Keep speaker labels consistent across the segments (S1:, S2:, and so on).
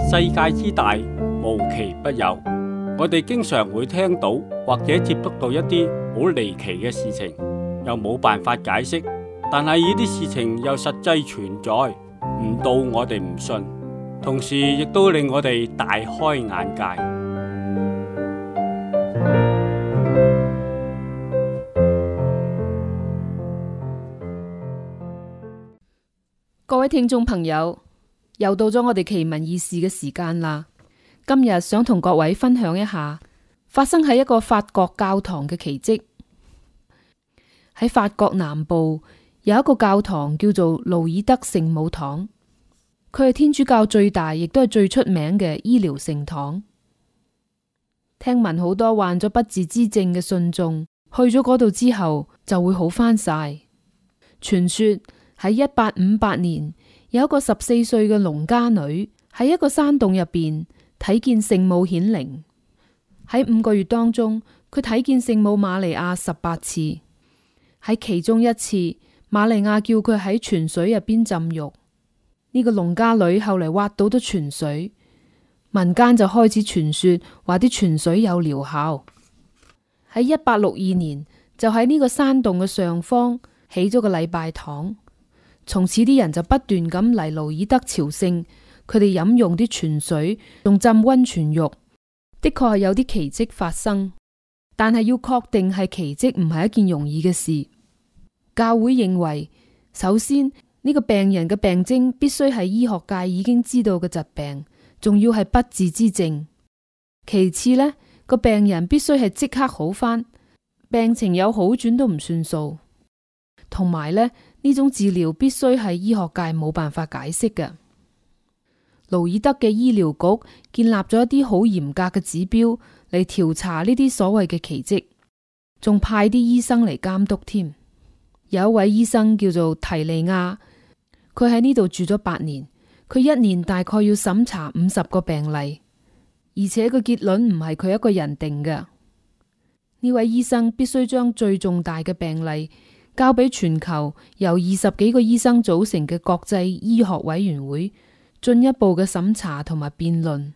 S1: 世界之大，無奇不有。我哋經常會聽到或者接觸到一啲好離奇嘅事情，又冇辦法解釋，但係呢啲事情又實際存在，唔到我哋唔信，同時亦都令我哋大開眼界。
S2: 各位聽眾朋友，又到咗我哋奇聞異事嘅時間啦。今日想同各位分享一下發生喺一個法國教堂嘅奇蹟。喺法國南部有一個教堂叫做盧爾德聖母堂，佢係天主教最大亦都係最出名嘅醫療聖堂。聽聞好多患咗不治之症嘅信眾去咗嗰度之後就會好返晒。傳說喺1858年，有一個14歲嘅農家女喺一個山洞入邊睇見聖母顯靈。喺5個月當中，佢睇見聖母瑪利亞18次。喺其中一次，瑪利亞叫佢喺泉水入邊浸浴。呢個農家女後嚟挖到咗泉水，民間就開始傳說話啲泉水有療效。喺1862年，就喺呢個山洞嘅上方起咗個禮拜堂。從此啲人就不斷咁嚟盧爾德朝聖，佢哋飲用啲泉水，仲浸溫泉浴，的確係有啲奇蹟發生。但係要確定係奇蹟唔係一件容易嘅事。教會認為，首先呢個病人嘅病徵必須係醫學界已經知道嘅疾病，仲要係不治之症。其次呢，個病人必須係即刻好返，病情有好轉都唔算數。同埋呢種治療必須係醫學界冇辦法解釋嘅。盧爾德嘅醫療局建立咗一啲好嚴格嘅指標嚟調查呢啲所謂嘅奇蹟，仲派啲醫生嚟監督添。有一位醫生叫做提利亞，佢喺呢度住咗8年，佢一年大概要審查50個病例，而且個結論唔係佢一個人定嘅。呢位醫生必須將最重大嘅病例交俾全球由20幾個醫生組成嘅國際醫學委員會進一步嘅審查同埋辯論，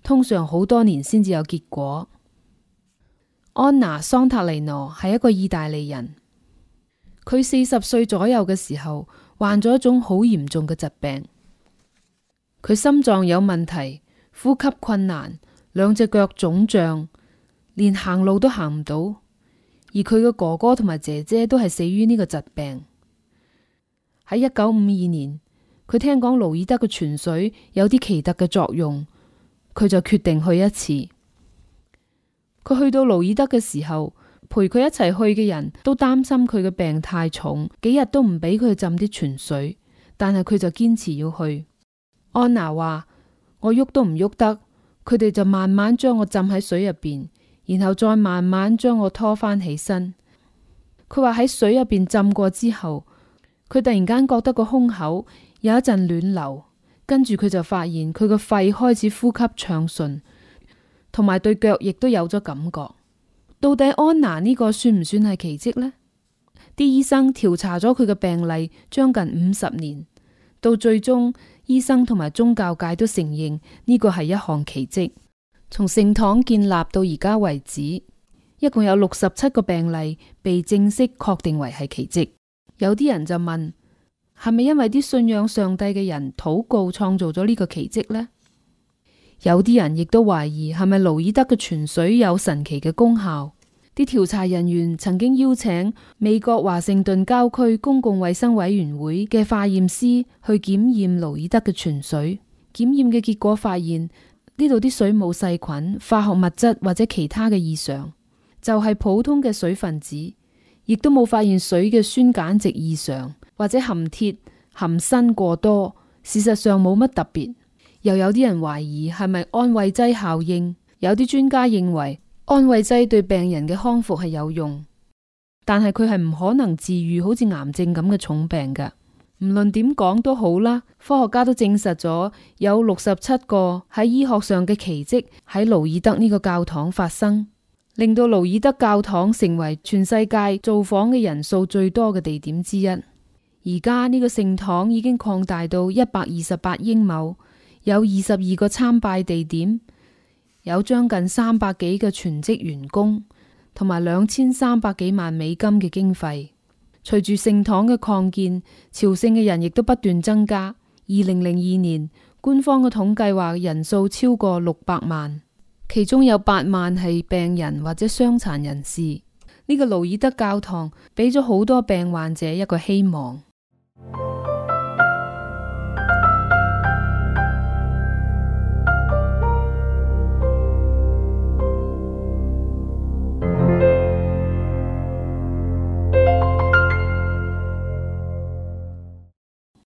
S2: 通常好多年先至有結果。安娜桑塔尼諾係一個意大利人，佢40歲左右嘅時候患咗一種好嚴重嘅疾病，佢心臟有問題，呼吸困難，2隻腳腫脹，連行路都行唔到。而佢嘅哥哥同埋姐姐都係死於呢個疾病。喺1952年，佢聽講盧爾德嘅泉水有啲奇特嘅作用，佢就決定去一次。佢去到盧爾德嘅時候，陪佢一齊去嘅人都擔心佢嘅病太重，幾日都唔俾佢浸啲泉水，但係佢就堅持要去。安娜話：我喐都唔喐得，佢哋就慢慢將我浸喺水入邊，然後再慢慢將我拖翻起身。佢話喺水入邊浸過之後，佢突然間覺得個胸口有一陣暖流，跟住佢就發現佢個肺開始呼吸暢順，同埋對腳亦都有咗感覺。到底安娜呢個算唔算係奇蹟呢？啲醫生調查咗佢嘅病例將近50年，到最終醫生同埋宗教界都承認呢個係一項奇蹟。從聖堂建立到而家為止，一共有67個病例被正式確定為係奇蹟。有啲人就問，係咪因為啲信仰上帝嘅人禱告創造咗呢個奇蹟呢？有啲人亦都懷疑係咪盧爾德嘅泉水有神奇嘅功效。啲調查人員曾經邀請美國華盛頓郊區公共衛生委員會嘅化驗師去檢驗盧爾德嘅泉水，檢驗嘅結果發現呢度啲水冇細菌、化學物質或者其他嘅異常，就係普通嘅水分子，亦都冇發現水嘅酸鹼值異常或者含鐵、含砷過多，事實上冇乜特別。又有啲人懷疑係咪安慰劑效應，有啲專家認為安慰劑對病人嘅康復係有用，但係佢係唔可能治癒好似癌症咁嘅重病㗎。唔論點講都好啦，科學家都證實咗有67個喺醫學上嘅奇蹟喺盧爾德呢個教堂發生，令到盧爾德教堂成為全世界造訪嘅人數最多嘅地點之一。而家呢個聖堂已經擴大到128英畝，有22個參拜地點，有將近300幾個全職員工，同埋2300幾萬美金嘅經費。隨住聖堂嘅擴建，朝聖嘅人亦都不斷增加。2002年，官方嘅統計話人數超過600萬，其中有8萬係病人或者傷殘人士。呢個盧爾德教堂俾咗好多病患者一個希望。